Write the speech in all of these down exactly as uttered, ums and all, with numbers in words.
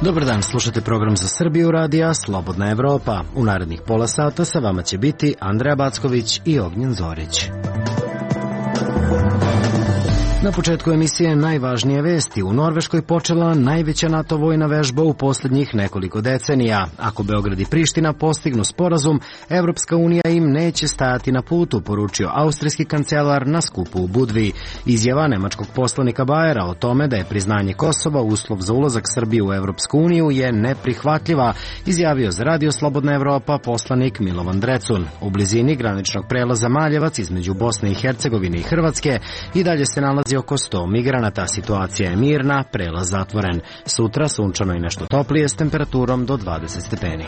Dobar dan, slušate program za Srbiju radija Slobodna Evropa. U narednih pola sata sa vama će biti Andreja Backović i Ognjen Zorić. Na početku emisije najvažnije vesti. U Norveškoj počela najveća NATO vojna vežba u posljednjih nekoliko decenija. Ako Beograd i Priština postignu sporazum, Evropska unija im neće stajati na putu, poručio austrijski kancelar na skupu u Budvi. Izjava nemačkog poslanika Bajera o tome da je priznanje Kosova uslov za ulazak Srbije u Evropsku uniju je neprihvatljiva, izjavio za Radio Slobodna Evropa poslanik Milovan Drecun. U blizini graničnog prelaza Maljevac između Bosne i Hercegovine i Hrvatske i dalje se nalazi oko sto migranata. Situacija je mirna, prelaz zatvoren. Sutra sunčano i nešto toplije s temperaturom do dvadeset stepeni.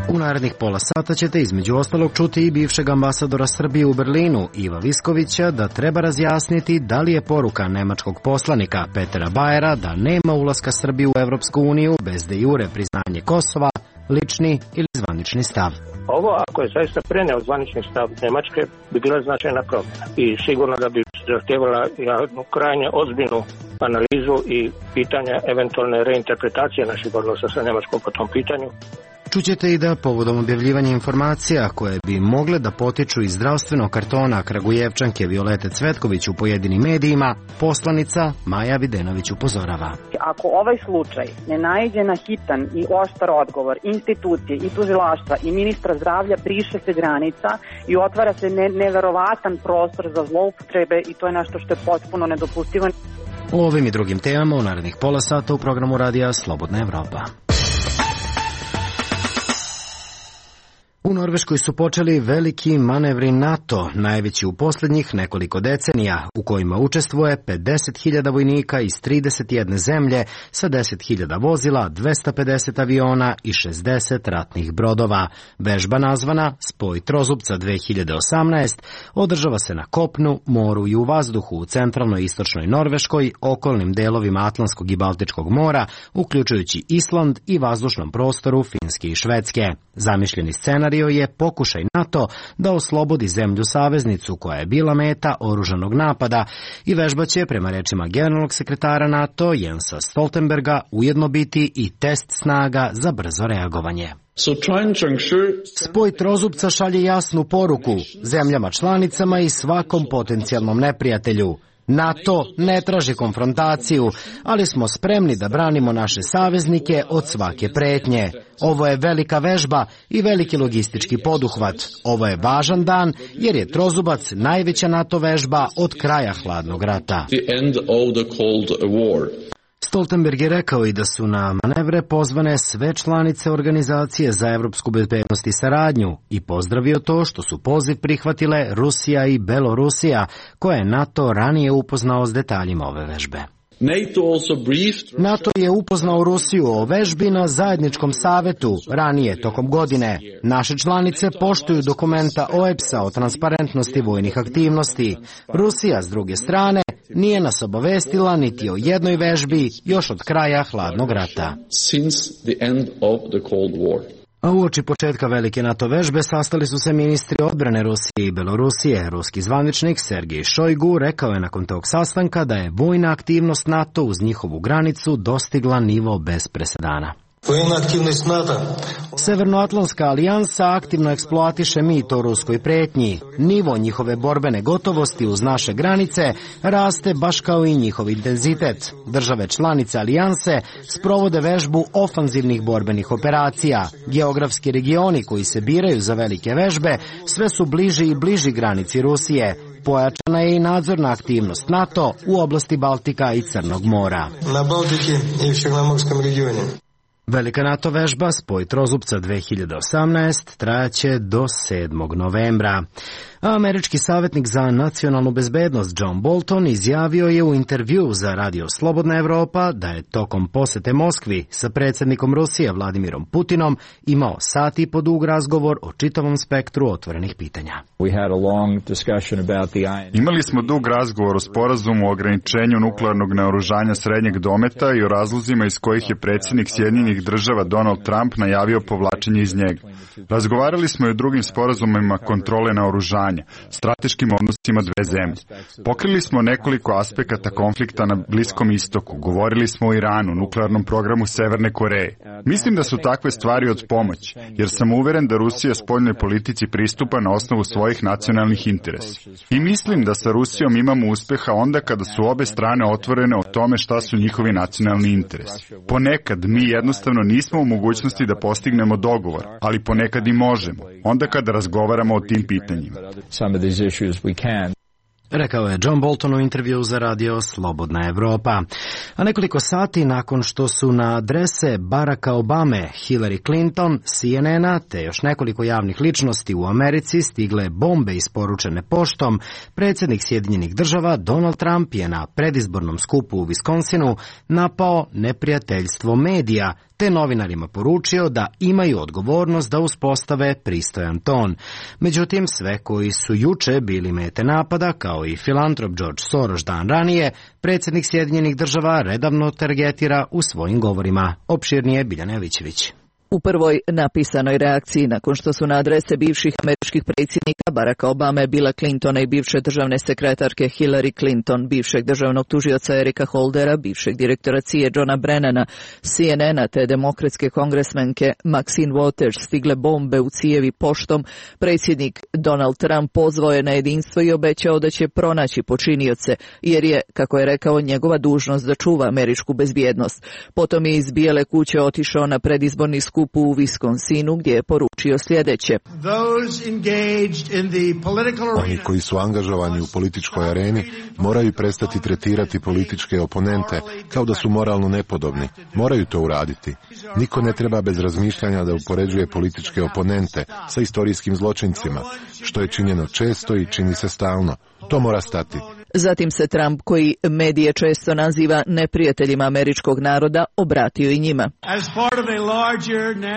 U narednih pola sata ćete između ostalog čuti i bivšeg ambasadora Srbije u Berlinu, Iva Viskovića, da treba razjasniti da li je poruka nemačkog poslanika Petera Bajera da nema ulaska Srbije u Evropsku uniju bez de jure priznanje Kosova lični ili zvanični stav. Ovo, ako je zaista preneo zvanični stav Nemačke, bi bila značajna promjena i sigurno da bi zahtjevala jednu krajnje ozbiljnu analizu i pitanja eventualne reinterpretacije naših odnosa sa Nemačkom po tom pitanju. Čućete i da povodom objavljivanja informacija koje bi mogle da potiču iz zdravstvenog kartona Kragujevčanke Violete Cvetković u pojedinim medijima, poslanica Maja Videnović upozorava. Ako ovaj slučaj ne naiđe na hitan i oštar odgovor institucije i tužilaštva i ministra zdravlja, briše se granica i otvara se ne, neverovatan prostor za zloupotrebe i to je nešto što je potpuno nedopustivo. O ovim i drugim temama u narednih pola sata u programu radija Slobodna Evropa. U Norveškoj su počeli veliki manevri NATO, najveći u posljednjih nekoliko decenija, u kojima učestvuje pedeset hiljada vojnika iz trideset jedne zemlje sa deset hiljada vozila, dvesta pedeset aviona i šezdeset ratnih brodova. Vežba nazvana Spoj trozubca dve hiljade osamnaest održava se na kopnu, moru i u vazduhu u centralnoj i istočnoj Norveškoj, okolnim delovima Atlantskog i Baltičkog mora, uključujući Island i vazdušnom prostoru Finske i Švedske. Zamišljeni scenarij je pokušaj NATO da oslobodi zemlju saveznicu koja je bila meta oružanog napada i vežba će, prema rečima generalnog sekretara NATO Jensa Stoltenberga, ujedno biti i test snaga za brzo reagovanje. Spoj trozubca šalje jasnu poruku zemljama članicama i svakom potencijalnom neprijatelju. NATO ne traži konfrontaciju, ali smo spremni da branimo naše saveznike od svake pretnje. Ovo je velika vežba i veliki logistički poduhvat. Ovo je važan dan jer je trozubac najveća NATO vežba od kraja hladnog rata. Stoltenberg je rekao i da su na manevre pozvane sve članice Organizacije za evropsku bezbednost i saradnju i pozdravio to što su poziv prihvatile Rusija i Belorusija, koje je NATO ranije upoznao s detaljima ove vežbe. NATO je upoznao Rusiju o vežbi na zajedničkom savetu ranije tokom godine. Naše članice poštuju dokumenta O E B S-a o transparentnosti vojnih aktivnosti. Rusija, s druge strane, nije nas obavestila niti o jednoj vežbi još od kraja hladnog rata. A uoči početka velike NATO vežbe sastali su se ministri odbrane Rusije i Belorusije. Ruski zvaničnik Sergej Šojgu rekao je nakon tog sastanka da je vojna aktivnost NATO uz njihovu granicu dostigla nivo bez presedana. Severnoatlantska alijansa aktivno eksploatiše mit o ruskoj pretnji. Nivo njihove borbene gotovosti uz naše granice raste baš kao i njihov intenzitet. Države članice alijanse sprovode vežbu ofanzivnih borbenih operacija. Geografski regioni koji se biraju za velike vežbe sve su bliži i bliži granici Rusije. Pojačana je i nadzorna aktivnost NATO u oblasti Baltika i Crnog mora. Na Baltiki i u Črnomorskom regionu. Velika NATO vežba Spoj trozubca dve hiljade osamnaest trajaće do sedmog novembra. A američki savjetnik za nacionalnu bezbednost John Bolton izjavio je u intervju za Radio Slobodna Evropa da je tokom posete Moskvi sa predsjednikom Rusije Vladimirom Putinom imao sat i po dug razgovor o čitavom spektru otvorenih pitanja. Imali smo dug razgovor o sporazumu o ograničenju nuklearnog naoružanja srednjeg dometa i o razlozima iz kojih je predsjednik Sjedinjenih Država Donald Trump najavio povlačenje iz njega. Razgovarali smo i o drugim sporazumima kontrole naoružanja. naoružanja, strateškim odnosima dve zemlje. Pokrili smo nekoliko aspekata konflikta na Bliskom istoku, govorili smo o Iranu, nuklearnom programu Severne Koreje. Mislim da su takve stvari od pomoći, jer sam uveren da Rusija spoljnoj politici pristupa na osnovu svojih nacionalnih interesa. I mislim da sa Rusijom imamo uspeha onda kada su obe strane otvorene o tome šta su njihovi nacionalni interesi. Ponekad mi jednostavno nismo u mogućnosti da postignemo dogovor, ali ponekad i možemo, onda kada razgovaramo o tim pitanjima. Rekao je John Bolton u intervju za radio Slobodna Evropa. A nekoliko sati nakon što su na adrese Baracka Obame, Hillary Clinton, C N N-a te još nekoliko javnih ličnosti u Americi stigle bombe isporučene poštom, predsjednik Sjedinjenih država Donald Trump je na predizbornom skupu u Wisconsinu napao neprijateljstvo medija, te novinarima poručio da imaju odgovornost da uspostave pristojan ton. Međutim, sve koji su juče bili mete napada, kao i filantrop George Soros dan ranije, predsjednik Sjedinjenih država redovno targetira u svojim govorima. Opširnije Biljana Jovićević. U prvoj napisanoj reakciji nakon što su na adrese bivših američkih predsjednika Baracka Obame, Billa Clintona i bivše državne sekretarke Hillary Clinton, bivšeg državnog tužioca Erika Holdera, bivšeg direktora C I A Johna Brennana, C N N-a te demokratske kongresmenke Maxine Waters stigle bombe u cijevi poštom, predsjednik Donald Trump pozvao je na jedinstvo i obećao da će pronaći počinioce, jer je, kako je rekao, njegova dužnost da čuva američku bezbjednost. Potom je iz Bijele kuće otišao na predizborni skup u Wisconsinu gdje je poručio sljedeće. Oni koji su angažovani u političkoj areni moraju prestati tretirati političke oponente kao da su moralno nepodobni. Moraju to uraditi. Niko ne treba bez razmišljanja da upoređuje političke oponente sa istorijskim zločincima, što je činjeno često i čini se stalno. To mora stati. Zatim se Trump, koji medije često naziva neprijateljima američkog naroda, obratio i njima.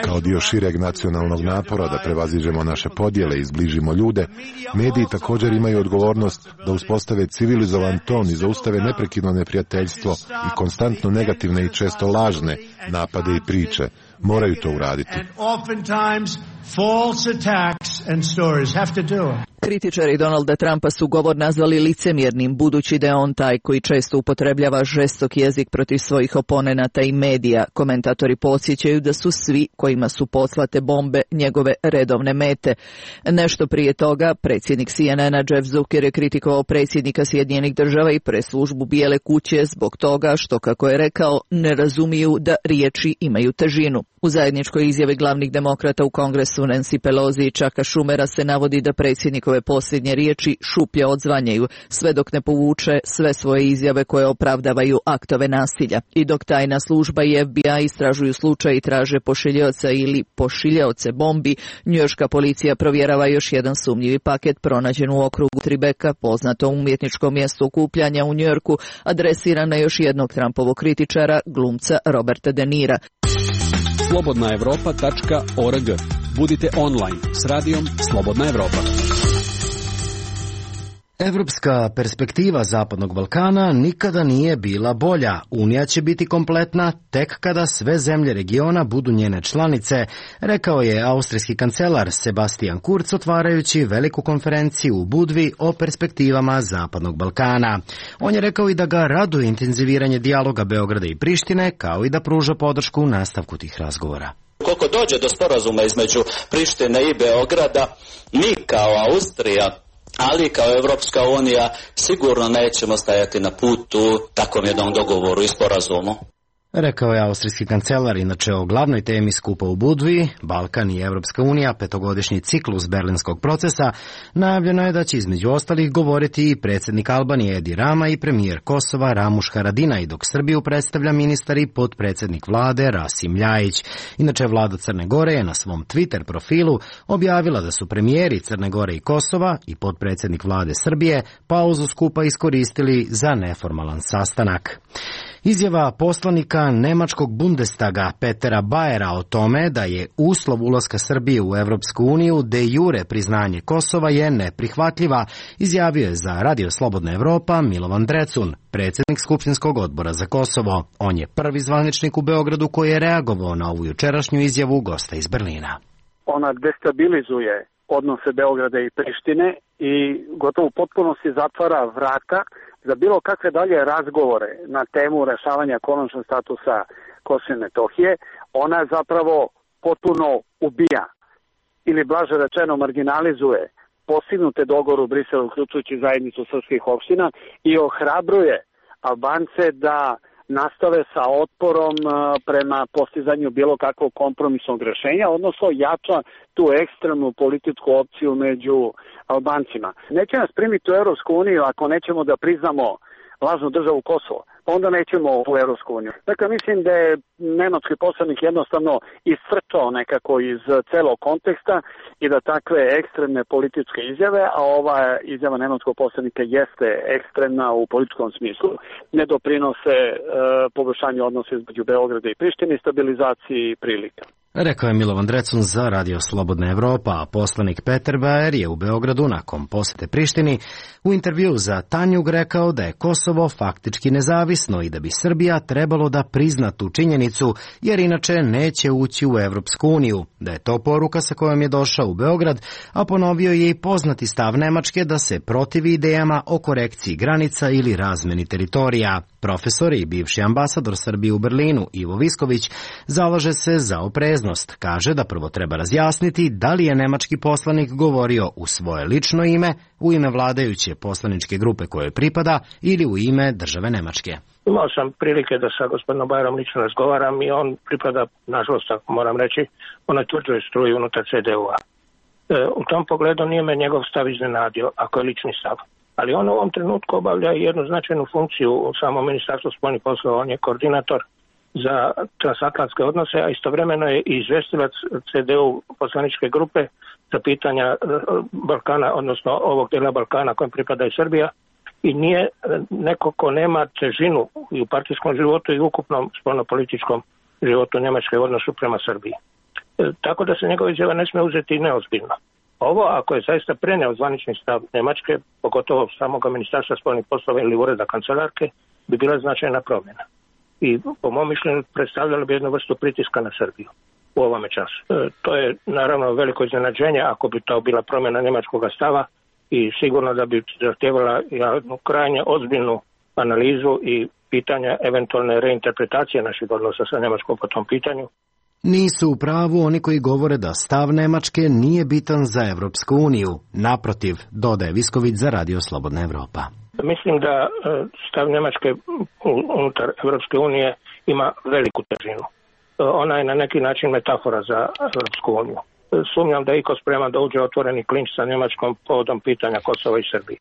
Kao dio šireg nacionalnog napora da prevaziđemo naše podjele i zbližimo ljude, mediji također imaju odgovornost da uspostave civilizovan ton i zaustave neprekidno neprijateljstvo i konstantno negativne i često lažne napade i priče. Moraju to uraditi. Kritičari Donalda Trumpa su govor nazvali licemjernim, budući da je on taj koji često upotrebljava žestok jezik protiv svojih oponenata i medija. Komentatori podsjećaju da su svi kojima su poslate bombe njegove redovne mete. Nešto prije toga, predsjednik C N N-a Jeff Zucker je kritikovao predsjednika Sjedinjenih država i preslužbu Bijele kuće zbog toga što, kako je rekao, ne razumiju da riječi imaju težinu. U zajedničkoj izjavi glavnih demokrata u Kongresu Nancy Pelosi i Chucka Schumera se navodi da predsjednikove posljednje riječi šuplje odzvanjaju, sve dok ne povuče sve svoje izjave koje opravdavaju aktove nasilja. I dok tajna služba i F B I istražuju slučaj i traže pošiljaoca ili pošiljaoce bombi, njujorška policija provjerava još jedan sumnjivi paket pronađen u okrugu Tribeka, poznatom umjetničkom mjestu okupljanja u Njujorku, adresiran na još jednog Trumpovog kritičara, glumca Roberta De Nira. slobodna evropa tačka org. Budite online s radijom Slobodna Evropa. Evropska perspektiva Zapadnog Balkana nikada nije bila bolja. Unija će biti kompletna tek kada sve zemlje regiona budu njene članice, rekao je austrijski kancelar Sebastian Kurz otvarajući veliku konferenciju u Budvi o perspektivama Zapadnog Balkana. On je rekao i da ga raduje intenziviranje dijaloga Beograda i Prištine, kao i da pruža podršku u nastavku tih razgovora. Koliko dođe do sporazuma između Prištine i Beograda, mi kao Austrija, ali kao Evropska unija, sigurno nećemo stajati na putu takvom jednom dogovoru i sporazumu. Rekao je austrijski kancelar, inače o glavnoj temi skupa u Budvi, Balkan i Evropska unija, petogodišnji ciklus berlinskog procesa, najavljeno je da će između ostalih govoriti i predsjednik Albanije Edi Rama i premijer Kosova Ramuš Haradinaj, dok Srbiju predstavlja ministar i potpredsjednik vlade Rasim Ljajić. Inače, vlada Crne Gore je na svom Twitter profilu objavila da su premijeri Crne Gore i Kosova i potpredsjednik vlade Srbije pauzu skupa iskoristili za neformalan sastanak. Izjava poslanika nemačkog Bundestaga Petera Bajera o tome da je uslov ulaska Srbije u Evropsku uniju de jure priznanje Kosova je neprihvatljiva, izjavio je za Radio Slobodna Evropa Milovan Drecun, predsjednik Skupštinskog odbora za Kosovo. On je prvi zvaničnik u Beogradu koji je reagovao na ovu jučerašnju izjavu gosta iz Berlina. Ona destabilizuje odnose Beograda i Prištine i gotovo u potpunosti zatvara vrata za bilo kakve dalje razgovore na temu rešavanja konačnog statusa Kosova i Metohije. Ona zapravo potpuno ubija ili blaže rečeno marginalizuje postignute dogovore u Briselu, uključujući zajednicu srpskih opština, i ohrabruje Albance da nastave sa otporom prema postizanju bilo kakvog kompromisnog rešenja, odnosno jača tu ekstremnu političku opciju među Albancima. Neće nas primiti u Evropsku uniju ako nećemo da priznamo lažnu državu Kosovo, pa onda nećemo u Evropsku uniju. Dakle, mislim da je nemački poslanik jednostavno iscrčao nekako iz celog konteksta i da takve ekstremne političke izjave, a ova izjava nemačkog poslanika jeste ekstremna u političkom smislu, ne doprinose e, poboljšanju odnosa između Beograda i Prištine i stabilizaciji prilika. Rekao je Milovan Drecun za Radio Slobodna Evropa, a poslanik Peter Baer je u Beogradu nakon posete Prištini u intervju za Tanjug rekao da je Kosovo faktički nezavisno i da bi Srbija trebalo da prizna tu činjenicu, jer inače neće ući u Evropsku uniju, da je to poruka sa kojom je došao u Beograd, a ponovio je i poznati stav Nemačke da se protivi idejama o korekciji granica ili razmeni teritorija. Profesor i bivši ambasador Srbije u Berlinu Ivo Visković zalaže se za opreznost. Kaže da prvo treba razjasniti da li je nemački poslanik govorio u svoje lično ime, u ime vladajuće poslaničke grupe kojoj pripada ili u ime države Nemačke. Imao sam prilike da sa gospodinom Bajerom lično razgovaram i on pripada, nažalost, moram reći, onoj tvrđoj struji unutar C D U-a. E, u tom pogledu nije me njegov stav iznenadio, ako je lični stav. Ali on u ovom trenutku obavlja jednu značajnu funkciju u samom Ministarstvu spoljnih poslova. On je koordinator za transatlantske odnose, a istovremeno je i izvestilac C D U poslaničke grupe za pitanja Balkana, odnosno ovog dela Balkana kojem pripada i Srbija, i nije neko ko nema težinu i u partijskom životu i u ukupnom spoljnopolitičkom životu Njemačke u odnosu prema Srbiji. E, tako da se njegova izjava ne smije uzeti neozbiljno. Ovo, ako je zaista preneo zvanični stav Nemačke, pogotovo samog ministarstva spoljnih poslova ili ureda kancelarke, bi bila značajna promjena. I po mom mišljenju predstavljala bi jednu vrstu pritiska na Srbiju u ovome času. E, to je naravno veliko iznenađenje ako bi to bila promjena njemačkog stava i sigurno da bi zahtjevala jednu krajnje ozbiljnu analizu i pitanja eventualne reinterpretacije naših odnosa sa Njemačkom po tom pitanju. Nisu u pravu oni koji govore da stav Nemačke nije bitan za Evropsku uniju. Naprotiv, dodaje Visković za Radio Slobodna Evropa. Mislim da stav Njemačke unutar Evropske unije ima veliku težinu. Ona je na neki način metafora za Evropsku uniju. Sumnjam da je iko spreman da uđe otvoreni klinč sa Njemačkom povodom pitanja Kosova i Srbije.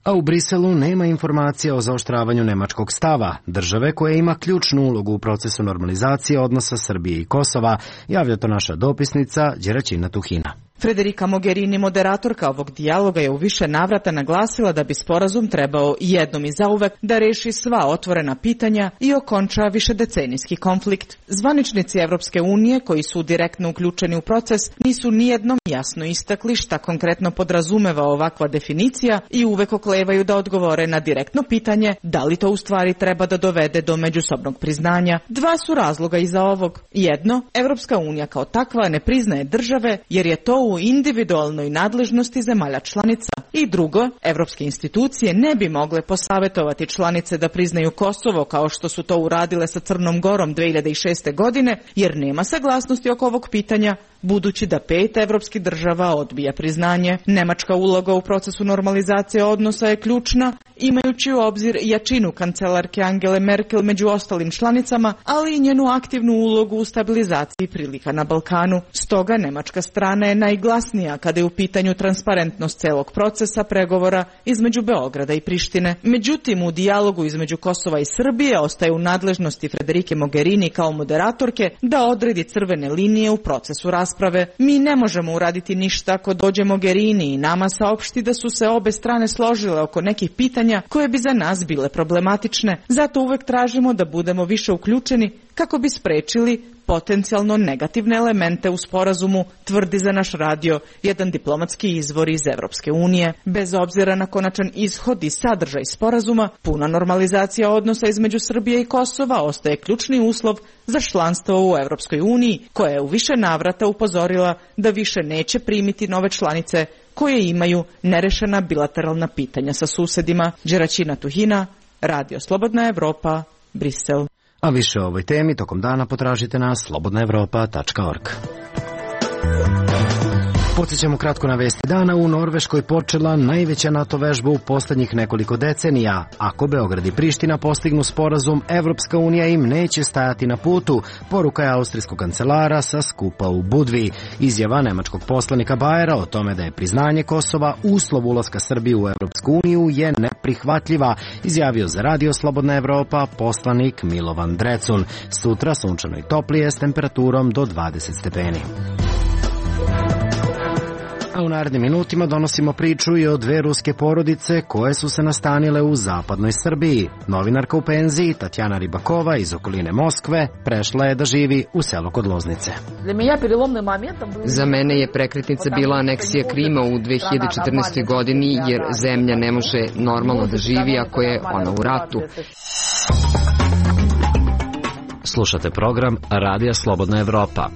A u Briselu nema informacija o zaoštravanju nemačkog stava, države koja ima ključnu ulogu u procesu normalizacije odnosa Srbije i Kosova, javlja to naša dopisnica Đeraćina Tuhina. Federica Mogherini, moderatorka ovog dijaloga, je u više navrata naglasila da bi sporazum trebao jednom i zauvek da reši sva otvorena pitanja i okonča višedecenijski konflikt. Zvaničnici Evropske unije, koji su direktno uključeni u proces, nisu nijednom jasno istakli šta konkretno podrazumeva ovakva definicija i uvek oklevaju da odgovore na direktno pitanje da li to u stvari treba da dovede do međusobnog priznanja. Dva su razloga iza ovog. Jedno, Evropska unija kao takva ne priznaje države jer je to u individualnoj nadležnosti zemalja članica. I drugo, evropske institucije ne bi mogle posavetovati članice da priznaju Kosovo kao što su to uradile sa Crnom Gorom dve hiljade šeste. godine, jer nema saglasnosti oko ovog pitanja, budući da pet evropskih država odbija priznanje. Nemačka uloga u procesu normalizacije odnosa je ključna, imajući u obzir jačinu kancelarke Angele Merkel među ostalim članicama, ali i njenu aktivnu ulogu u stabilizaciji prilika na Balkanu. Stoga nemačka strana je najglasnija kada je u pitanju transparentnost celog procesa pregovora između Beograda i Prištine. Međutim, u dijalogu između Kosova i Srbije ostaje u nadležnosti Federike Mogherini kao moderatorke da odredi crvene linije u procesu rasprave. Mi ne možemo uraditi ništa ako dođe Mogherini i nama saopšti da su se obe strane složile oko nekih pitanja koje bi za nas bile problematične. Zato uvek tražimo da budemo više uključeni kako bi sprečili potencijalno negativne elemente u sporazumu, tvrdi za naš radio jedan diplomatski izvor iz Evropske unije. Bez obzira na konačan ishod i sadržaj sporazuma, puna normalizacija odnosa između Srbije i Kosova ostaje ključni uslov za članstvo u Evropskoj uniji, koja je u više navrata upozorila da više neće primiti nove članice koje imaju nerešena bilateralna pitanja sa susedima. Đeraćina Tuhina, Radio Slobodna Evropa, Brisel. A više o ovoj temi tokom dana potražite na slobodna evropa tačka org. Podsjećamo kratko na vesti dana. U Norveškoj počela najveća NATO vežba u poslednjih nekoliko decenija. Ako Beograd i Priština postignu sporazum, Evropska unija im neće stajati na putu, poruka je austrijskog kancelara sa skupa u Budvi. Izjava nemačkog poslanika Bajera o tome da je priznanje Kosova uslov ulaska Srbije u Evropsku uniju je neprihvatljiva, izjavio za Radio Slobodna Evropa poslanik Milovan Drecun. Sutra sunčano i toplije s temperaturom do dvadeset stepeni. A u narednim minutima donosimo priču i o dve ruske porodice koje su se nastanile u zapadnoj Srbiji. Novinarka u penziji Tatjana Ribakova iz okoline Moskve prešla je da živi u selo kod Loznice. Za mene je prekretnica bila aneksija Krima u dve hiljade četrnaestoj. godini, jer zemlja ne može normalno da živi ako je ona u ratu. Slušate program Radija Slobodna Evropa.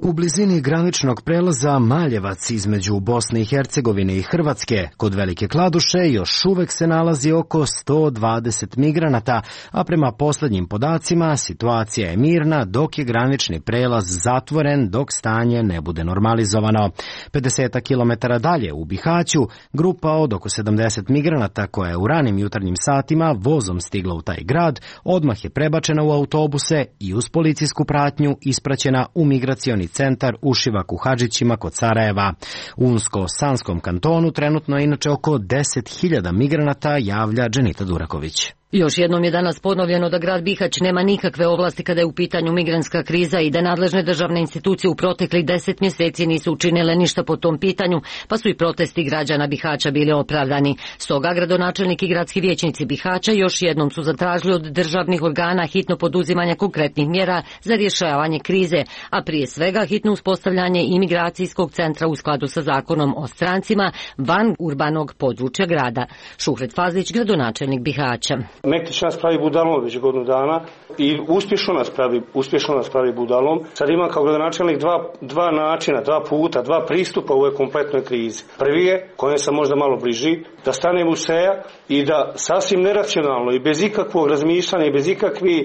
U blizini graničnog prelaza Maljevac između Bosne i Hercegovine i Hrvatske kod Velike Kladuše još uvek se nalazi oko sto dvadeset migranata, a prema poslednjim podacima situacija je mirna dok je granični prelaz zatvoren dok stanje ne bude normalizovano. pedeset kilometara dalje u Bihaću grupa od oko sedamdeset migranata koja je u ranim jutarnjim satima vozom stigla u taj grad odmah je prebačena u autobuse i uz policijsku pratnju ispraćena u migracioni centar u Šivaku Hadžićima kod Sarajeva. U Unsko-Sanskom kantonu trenutno je inače oko deset hiljada migranata, javlja Dženita Duraković. Još jednom je danas ponovljeno da grad Bihać nema nikakve ovlasti kada je u pitanju migrantska kriza i da nadležne državne institucije u proteklih deset mjeseci nisu učinile ništa po tom pitanju, pa su i protesti građana Bihaća bili opravdani. Stoga gradonačelnik i gradski vijećnici Bihaća još jednom su zatražili od državnih organa hitno poduzimanje konkretnih mjera za rješavanje krize, a prije svega hitno uspostavljanje imigracijskog centra u skladu sa zakonom o strancima van urbanog područja grada. Šuhret Fazlić, gradonačelnik Bihaća. Mektić nas pravi budalom već godinu dana i uspješno nas pravi, uspješno nas pravi budalom. Sad ima kao gradonačelnik dva, dva načina, dva puta, dva pristupa u ovoj kompletnoj krizi. Prvi je, kojem sam možda malo bliži, da stanem u seja i da sasvim neracionalno i bez ikakvog razmišljanja i bez ikakvih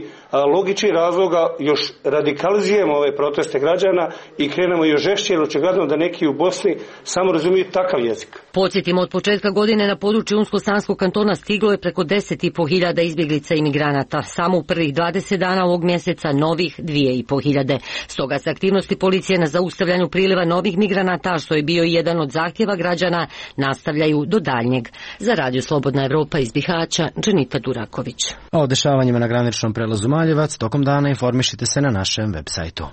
logičnih razloga još radikalizujemo ove proteste građana i krenemo još žešće, jer očigledno da neki u Bosni samo razumiju takav jezik. Podsjetimo, od početka godine na području Unsko-Sanskog kantona stiglo je preko deset i po hiljada izbjeglica i migranata. Samo u prvih dvadeset dana ovog mjeseca novih dvije i po hiljade. Stoga se aktivnosti policije na zaustavljanju priliva novih migranata, što je bio i jedan od zahtjeva građana, nastavljaju do daljnjeg. Za Radio Slobodna Evropa iz Bihaća, Dženita Duraković. O dešavanjima na graničnom prelazu Maljevac tokom dana informišite se na našem web sajtu.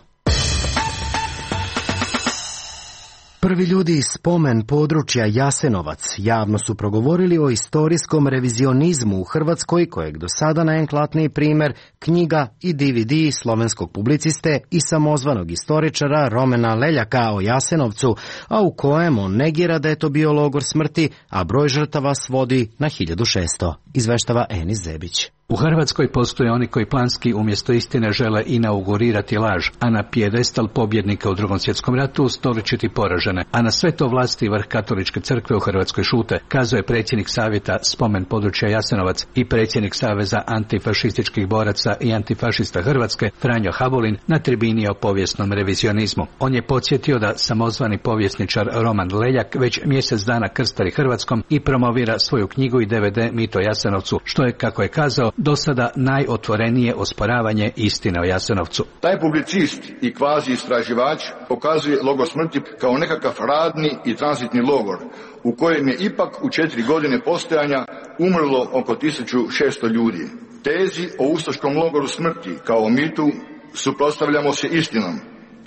Prvi ljudi iz spomen područja Jasenovac javno su progovorili o istorijskom revizionizmu u Hrvatskoj, kojeg do sada najeklatniji primjer knjiga i D V D slovenskog publiciste i samozvanog istoričara Romena Leljaka o Jasenovcu, a u kojem on negira da je to bio logor smrti, a broj žrtava svodi na hiljadu šesto, izveštava Enis Zebić. U Hrvatskoj postoje oni koji planski umjesto istine žele inaugurirati laž, a na pijedestal pobjednika u Drugom svjetskom ratu ustoličiti poražene, a na sve to vlasti i vrh katoličke crkve u Hrvatskoj šute, kazuje predsjednik savjeta spomen područja Jasenovac i predsjednik Saveza antifašističkih boraca i antifašista Hrvatske Franjo Habulin na tribini o povijesnom revizionizmu. On je podsjetio da samozvani povjesničar Roman Leljak već mjesec dana krstari Hrvatskom i promovira svoju knjigu i D V D Mit o Jasenovcu, što je, kako je kazao, do sada najotvorenije osporavanje istine o Jasenovcu. Taj publicist i kvazi istraživač pokazuje logor smrti kao nekakav radni i tranzitni logor u kojem je ipak u četiri godine postojanja umrlo oko tisuću šesto ljudi. Tezi o ustaškom logoru smrti kao mitu suprotstavljamo se istinom,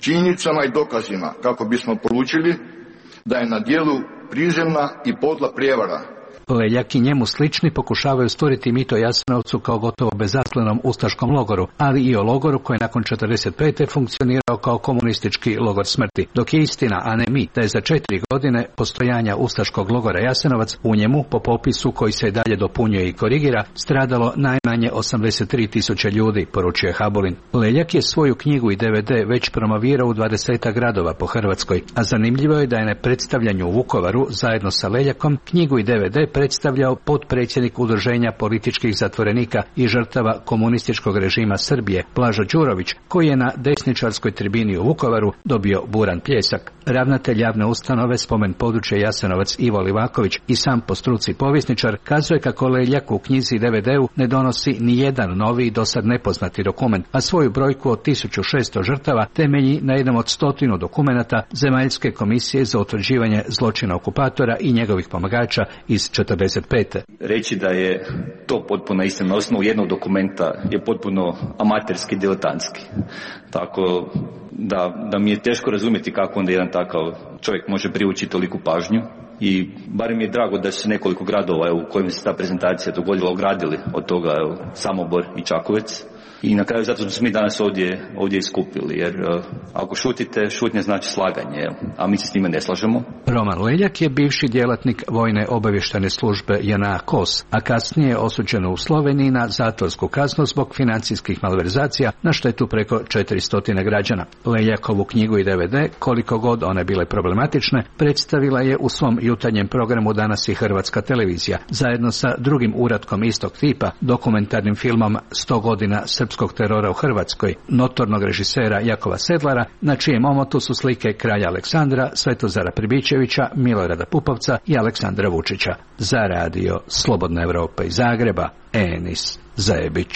činjenicama i dokazima kako bismo poručili da je na djelu prizemna i podla prijevara. Leljak i njemu slični pokušavaju stvoriti mit o Jasenovcu kao gotovo bezazlenom ustaškom logoru, ali i o logoru koji je nakon četrdeset pete funkcionirao kao komunistički logor smrti, dok je istina, a ne mit, da je za četiri godine postojanja ustaškog logora Jasenovac u njemu, po popisu koji se dalje dopunjuje i korigira, stradalo najmanje osamdeset tri tisuće ljudi, poručuje Habulin. Leljak je svoju knjigu i D V D već promovirao u dvadesetak gradova po Hrvatskoj, a zanimljivo je da je na predstavljanju u Vukovaru zajedno sa Leljakom knjigu i D V D predstavljao potpredsjednik Udruženja političkih zatvorenika i žrtava komunističkog režima Srbije, Blažo Đurović, koji je na desničarskoj tribini u Vukovaru dobio buran pljesak. Ravnatelj javne ustanove Spomen područje Jasenovac Ivo Livaković i sam po struci povjesničar kazuje kako Leljak u knjizi i D V D-u ne donosi ni jedan novi i dosad nepoznati dokument, a svoju brojku od tisuću šesto žrtava temelji na jednom od stotinu dokumenata Zemaljske komisije za utvrđivanje zločina okupatora i njegovih pomagača iz četrdeset pete. Reći da je to potpuno istina na osnovu jednog dokumenta je potpuno amaterski, diletantski. Tako da, da mi je teško razumjeti kako onda jedan takav čovjek može privući toliku pažnju. I barem mi je drago da su nekoliko gradova evo, u kojima se ta prezentacija dogodila ogradili od toga evo, Samobor i Čakovec. I na kraju zato smo se mi danas ovdje, ovdje iskupili, jer uh, ako šutite, šutnja znači slaganje, a mi se s njime ne slažemo. Roman Leljak je bivši djelatnik Vojne obavještajne službe J N A KOS, a kasnije osuđeno u Sloveniji na zatvorsku kaznu zbog financijskih malverzacija na štetu preko četiristo građana. Leljakovu knjigu i D V D, koliko god one bile problematične, predstavila je u svom jutarnjem programu Danas i Hrvatska televizija, zajedno sa drugim uratkom istog tipa, dokumentarnim filmom sto godina srpskog terora u Hrvatskoj, notornog režisera Jakova Sedlara, na čijem omotu su slike kralja Aleksandra, Svetozara Pribičevića, Milorada Pupovca i Aleksandra Vučića. Za radio Slobodna Evropa iz Zagreba, Enis Zajebić.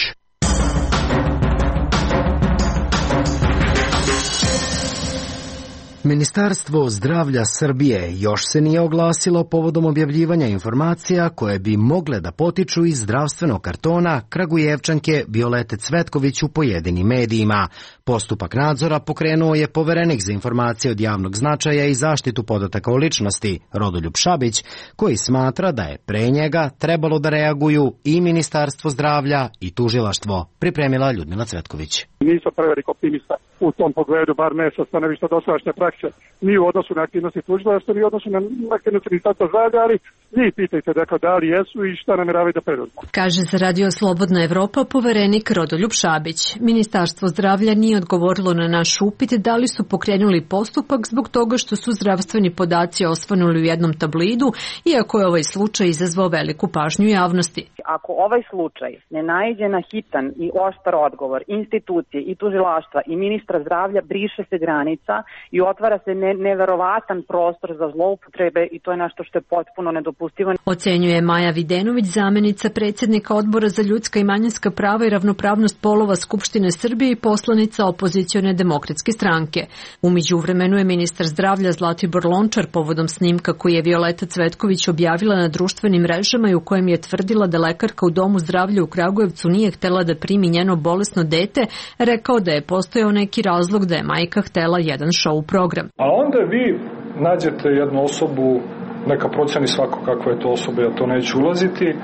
Ministarstvo zdravlja Srbije još se nije oglasilo povodom objavljivanja informacija koje bi mogle da potiču iz zdravstvenog kartona Kragujevčanke Violete Cvetković u pojedinim medijima. Postupak nadzora pokrenuo je poverenik za informacije od javnog značaja i zaštitu podataka o ličnosti, Rodoljub Šabić, koji smatra da je pre njega trebalo da reaguju i Ministarstvo zdravlja i tužilaštvo, pripremila Ljudmila Cvetković. Nisam prevelik optimista u tom pogledu, bar ne sa stanovišta dosadašnje prakse, ni u odnosu na aktivnosti tužilaštva, ni u odnosu na aktivnosti Ministarstva zdravlja, ali njih pitajte dakle, da li jesu i šta nameravaju da preduzmu. Kaže za radio Slobodna Evropa poverenik Rodoljub Šabić. Ministarstvo zdravlja nije odgovorilo na naš upit da li su pokrenuli postupak zbog toga što su zdravstveni podaci osvanuli u jednom tablidu, iako je ovaj slučaj izazvao veliku pažnju javnosti. Ako ovaj slučaj ne naiđe na hitan i oštar odgovor institucije i tužilaštva i ministra zdravlja, briše se granica i otvara se ne, neverovatan prostor za zloupotrebe i to je nešto što je potpuno nedopustivo. Ocenjuje Maja Videnović, zamenica predsjednika Odbora za ljudska i manjinska prava i ravnopravnost polova Skupštine Srbije i poslanica opozicione demokratske stranke. U međuvremenu je ministar zdravlja Zlatibor Lončar povodom snimka koji je Violeta Cvetković objavila na društvenim mrežama i u kojem je tvrdila da lekarka u domu zdravlja u Kragujevcu nije htela da primi njeno bolesno dete, rekao da je postojao neki razlog da je majka htela jedan show program. A onda vi nađete jednu osobu, neka proceni svako kakva je to osoba, ja to neću ulaziti, e,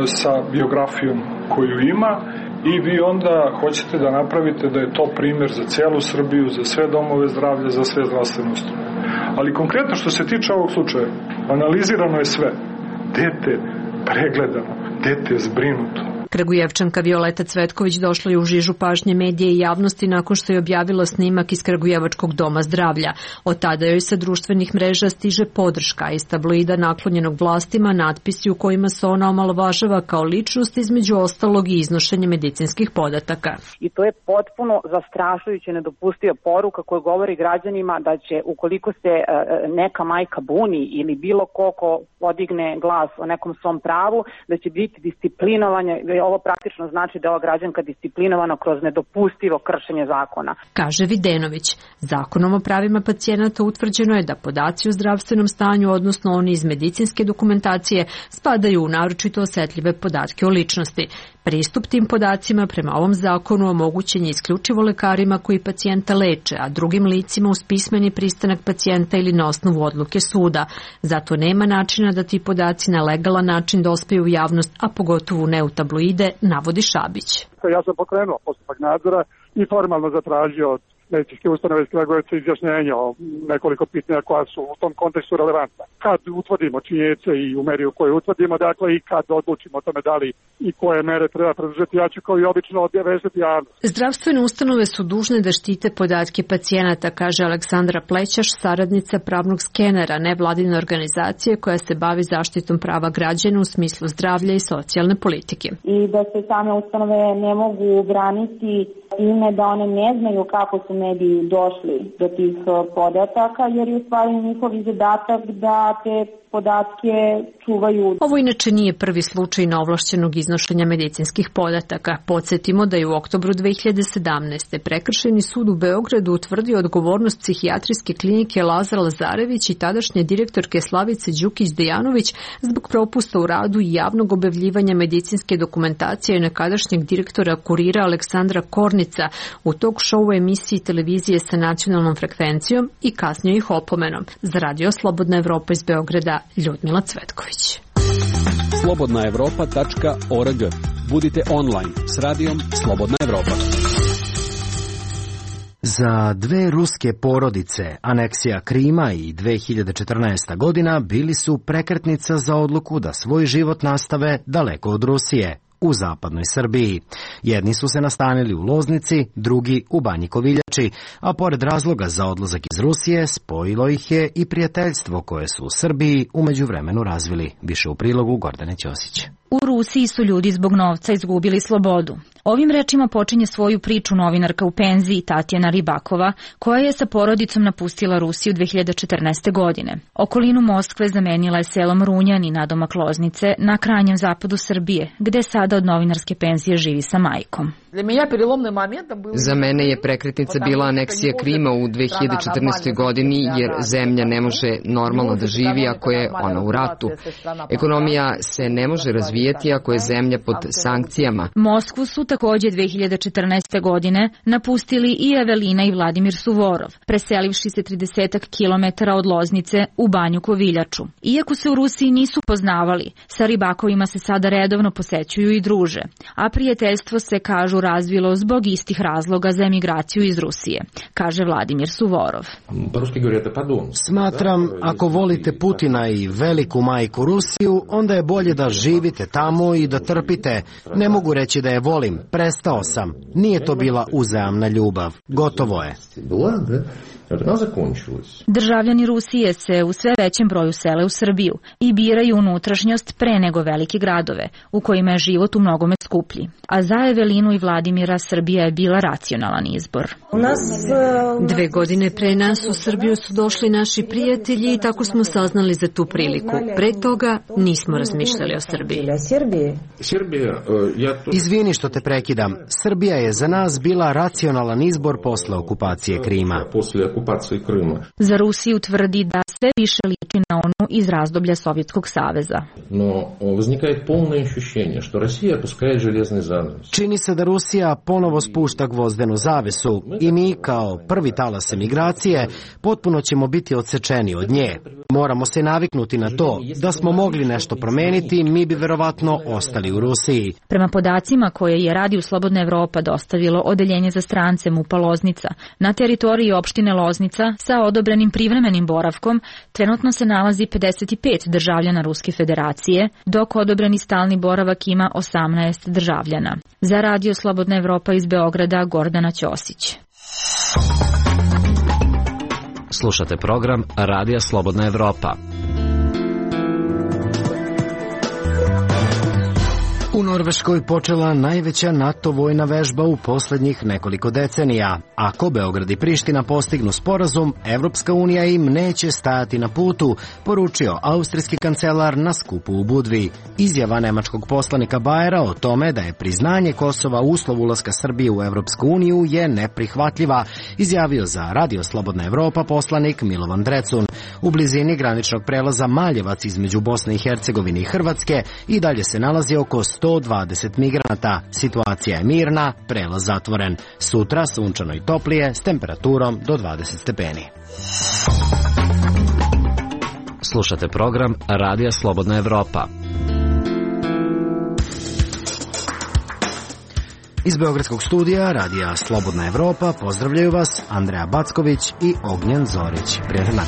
sa biografijom koju ima i vi onda hoćete da napravite da je to primjer za celu Srbiju, za sve domove zdravlja, za sve zdravstvene ustanove. Ali konkretno što se tiče ovog slučaja, analizirano je sve. Dete pregledano, dete zbrinuto. Kragujevčanka Violeta Cvetković došla je u žižu pažnje medije i javnosti nakon što je objavila snimak iz Kragujevačkog doma zdravlja. Od tada joj sa društvenih mreža stiže podrška iz tabloida naklonjenog vlastima, natpisi u kojima se ona omalovažava kao ličnost, između ostalog i iznošenje medicinskih podataka. I to je potpuno zastrašujuće nedopustiva poruka koja govori građanima da će ukoliko se neka majka buni ili bilo ko ko podigne glas o nekom svom pravu, da će biti disciplinovanje ali ovo praktično znači da je ova građanka disciplinovana kroz nedopustivo kršenje zakona. Kaže Videnović, zakonom o pravima pacijenata utvrđeno je da podaci o zdravstvenom stanju, odnosno oni iz medicinske dokumentacije, spadaju u naročito osetljive podatke o ličnosti. Pristup tim podacima prema ovom zakonu omogućen je isključivo lekarima koji pacijenta leče, a drugim licima uz pismeni pristanak pacijenta ili na osnovu odluke suda. Zato nema načina da ti podaci na legalan način dospiju u javnost, a pogotovo ne u tabloide, navodi Šabić. Ja sam pokrenuo postupak nadzora i formalno zatražio od medicinske ustanove iz Kragujevca izjašnjenje o nekoliko pitanja koja su u tom kontekstu relevantna. Kad utvrdimo činjenice i u meri u kojoj utvrdimo, dakle i kad odlučimo o tome da li i koje mere treba preduzeti, ja ću kao i obično obavestiti javnost. Zdravstvene ustanove su dužne da štite podatke pacijenata, kaže Aleksandra Plećaš, saradnica pravnog skenera, nevladine organizacije koja se bavi zaštitom prava građana u smislu zdravlja i socijalne politike. I da se same ustanove ne mogu braniti ime da one ne znaju kako su mediji došli do tih podataka, jer je u stvari njihov zadatak da te podatke čuvaju. Ovo inače nije prvi slučaj neovlašćenog iznošenja medicinskih podataka. Podsjetimo da je u oktobru dve hiljade sedamnaeste. Prekršajni sud u Beogradu utvrdio odgovornost psihijatrijske klinike Lazar Lazarević i tadašnje direktorke Slavice Đukić-Dejanović zbog propusta u radu i javnog objavljivanja medicinske dokumentacije nekadašnjeg direktora Kurira Aleksandra Kornica u talk show emisiji televizije sa nacionalnom frekvencijom i kasnije ih opomenom. Za Radio Slobodna Evropa iz Beograda, Ljudmila Cvetković. slobodna evropa tačka org. Budite online s radijom Slobodna Evropa. Za dve ruske porodice, aneksija Krima i dve hiljade četrnaesta godina bili su prekretnica za odluku da svoj život nastave daleko od Rusije, u zapadnoj Srbiji. Jedni su se nastanili u Loznici, drugi u Banji Koviljači, a pored razloga za odlazak iz Rusije, spojilo ih je i prijateljstvo koje su u Srbiji u međuvremenu razvili. Više u prilogu Gordane Ćosić. U Rusiji su ljudi zbog novca izgubili slobodu. Ovim rečima počinje svoju priču novinarka u penziji Tatjana Ribakova, koja je sa porodicom napustila Rusiju dve hiljade četrnaeste. godine. Okolinu Moskve zamenila je selom Runjani nadomak Loznice na krajnjem zapadu Srbije, gde sada od novinarske penzije živi sa majkom. Za mene je prekretnica bila aneksija Krima u dve hiljade četrnaestoj. godini, jer zemlja ne može normalno da živi ako je ona u ratu. Ekonomija se ne može razvijati ako je zemlja pod sankcijama. Moskvu su takođe dve hiljade četrnaeste. godine napustili i Evelina i Vladimir Suvorov, preselivši se tridesetak kilometara od Loznice u Banju Koviljaču. Iako se u Rusiji nisu poznavali, sa Ribakovima se sada redovno posećuju i druže, a prijateljstvo se, kažu, razvilo zbog istih razloga za emigraciju iz Rusije, kaže Vladimir Suvorov. Smatram, ako volite Putina i veliku majku Rusiju, onda je bolje da živite tamo i da trpite. Ne mogu reći da je volim, prestao sam. Nije to bila uzajamna ljubav. Gotovo je. Državljani Rusije se u sve većem broju sele u Srbiju i biraju unutrašnjost pre nego velike gradove, u kojima je život u mnogome skuplji. A za Evelinu i Vladimira Srbija je bila racionalan izbor. Dve godine pre nas u Srbiju su došli naši prijatelji i tako smo saznali za tu priliku. Pre toga nismo razmišljali o Srbiji. Izvini što te prekidam. Srbija je za nas bila racionalan izbor posle okupacije Krima. Za Rusiju tvrdi da sve više liči na onu iz razdoblja Sovjetskog saveza. Čini se da Rusija ponovo spušta gvozdenu zavesu i mi, kao prvi talas emigracije, potpuno ćemo biti odsečeni od nje. Moramo se naviknuti na to. Da smo mogli nešto promeniti, mi bi verovatno ostali u Rusiji. Prema podacima koje je Radio Slobodna Evropa dostavilo Odeljenje za strance MUP-a Loznica, na teritoriji opštine Loznica sa odobrenim privremenim boravkom trenutno se nalazi pedeset pet državljana Ruske federacije, dok odobreni stalni boravak ima osamnaest državljana. Za Radio Slobodna Evropa iz Beograda, Gordana Ćosić. Slušate program Radija Slobodna Evropa. U Norveškoj počela najveća NATO vojna vežba u poslednjih nekoliko decenija. Ako Beograd i Priština postignu sporazum, Evropska unija im neće stajati na putu, poručio austrijski kancelar na skupu u Budvi. Izjava nemačkog poslanika Bajera o tome da je priznanje Kosova uslov ulaska Srbije u Evropsku uniju je neprihvatljiva, izjavio za Radio Slobodna Evropa poslanik Milovan Drecun. U blizini graničnog prelaza Maljevac između Bosne i Hercegovine i Hrvatske i dalje se nalazi oko sto dvadeset migranata. Situacija je mirna, prelaz zatvoren. Sutra sunčano i toplije s temperaturom do dvadeset stepeni. Slušate program Radija Slobodna Evropa. Iz Beogradskog studija Radija Slobodna Evropa pozdravljaju vas Andreja Backović i Ognjen Zorić. Prijatno.